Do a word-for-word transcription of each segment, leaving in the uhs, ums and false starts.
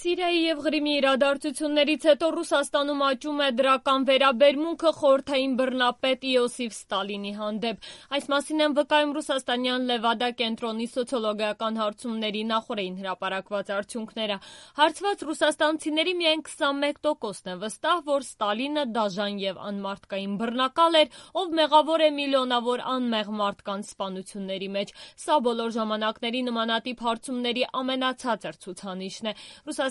Սիրիայի և Ղրիմի իրադարձություններից հետո Ռուսաստանում աճում է դրական վերաբերմունքը խորհրդային բռնապետ Իոսիֆ Ստալինի հանդեպ։ Այս մասին են վկայում ռուսաստանյան Լևադա կենտրոնի սոցիոլոգիական հարցումների նախօրեին հրապարակված արդյունքները։ Հարցված ռուսաստանցիների միայն քսանմեկ տոկոսն է վստահ, որ Ստալինը դաժան և անմարդկային բռնակալ էր, ով մեղավոր է միլիոնավոր անմեղ մարդկանց սպանությունների մեջ։ Սա բոլոր ժամանակների նմանատիպ հարցումների ամենացածր ցուցանիշն է։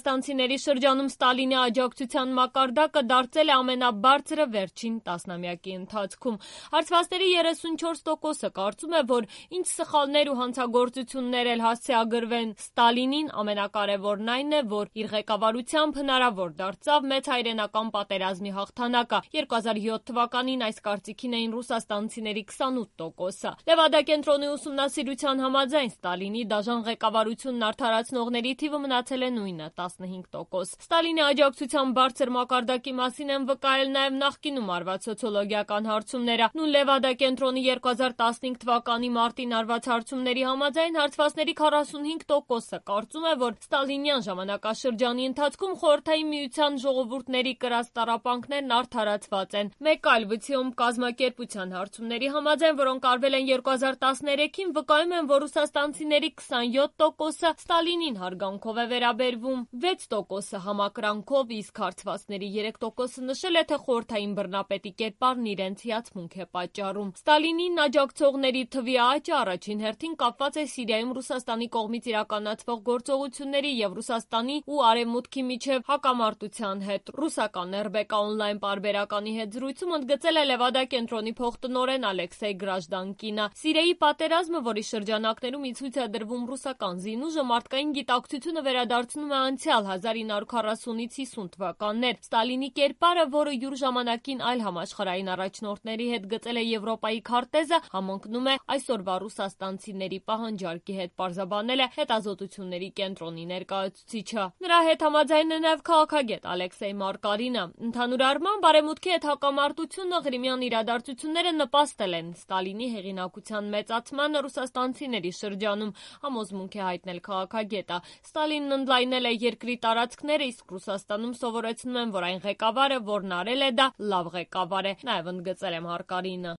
Ռուսաստանցիների շրջանում Ստալինի աջակցության մակարդակը դարձել է ամենաբարձրը վերջին տասնամյակի ընթացքում։ Հարցվածների երեսունչորս տոկոսը կարծում է, որ ինչ սխալներ ու հանցագործություններ էլ հասցեագրվեն Ստալինին, ամենակարևորն այն է, որ իր ղեկավարությամբ հնարավոր դարձավ մեծ հայրենական պատերազմի հաղթանակը։ երկու հազար յոթ թվականին այս կարծիքին էին ռուսաստանցիների քսանութ տոկոսը։ Լևադա կենտրոնի ուսումնասիրության համաձայն Ստալինի դաժան ղեկավարությունն արդարացնողների թիվը մնացել է նույնը՝ տասնհինգ տոկոս։ Ստալինի աջակցության բարձր մակարդակի մասին են վկայել նաև նախկինում արված սոցիոլոգիական հարցումները։ Նույն Լևադա կենտրոնի երկու հազար տասնհինգ թվականի մարտին արված հարցումների համաձայն հարցվածների քառասունհինգ տոկոսը կարծում է, որ ստալինյան ժամանակաշրջանի ընթացքում Խորհրդային Միության ժողովուրդների կրած տառապանքներն արդարացված են։ Մեկ այլ վցիոմ կազմակերպության հարցումների համաձայն, որոնք արվել են երկու հազար տասներեքին, վկայում են, որ ռուսաստանցիների քսանյոթ տոկոսը Ստալինին հարգանքով է վերաբերվում, վեց տոկոսը համակրանքով, իսկ հարցվածների երեք տոկոսը նշել է, թե խորհրդային բռնապետի կերպարն իրենց հիացմունք է պատճառում։ Ստալինին աջակցողների թվի աճը առաջին հերթին կապված է Սիրիայում Ռուսաստանի կողմից իրականացվող գործողությունների և Ռուսաստանի ու Արևմուտքի միջև հակամարտության հետ։ Ռուսական эр բե կա օնլայն պարբերականի հետ զրույցում ընդգծել է Լևադա կենտրոնի փոխտնօրեն Ալեքսեյ Գրաժդանկինը։ Սիրիայի պատերազմը, որի շրջանակներում ի ցույց է դրվում ռուսական զինուժը, մարդկային գիտակցությունը վերադարձնում է անցյալ հազար ինը հարյուր քառասունից հիսուն թվականներ։ Ստալինի կերպարը, որը յուր ժամանակին այլ համաշխարհային առաջնորդների հետ գծել է Եվրոպայի քարտեզը, համընկնում է այսօրվա ռուսաստանցիների պահանջարկի հետ, պարզաբանել է հետազոտությունների կենտրոնի ներկայացուցիչը։ Նրա հետ համաձայն է նաև քաղաքագետ Ալեքսեյ Մարկարինը։ Ընդհանուր առմամբ Արևմուտքի հետ հակամարտությունը, Ղրիմյան իրադարձությունները նպաստել են Ստալինի հեղինակության մեծացմանը ռուսաստանցիների շրջանում, համոզմունք է հայտնել քաղաքագետը։ Ստալինն ընդլայնել է երկրի տարածքները, իսկ Ռուսաստանում սովորեցնում են, որ այն ղեկավարը, որն արել է դա, լավ ղեկավար է, նաև ընդգծել է Մարկարինը։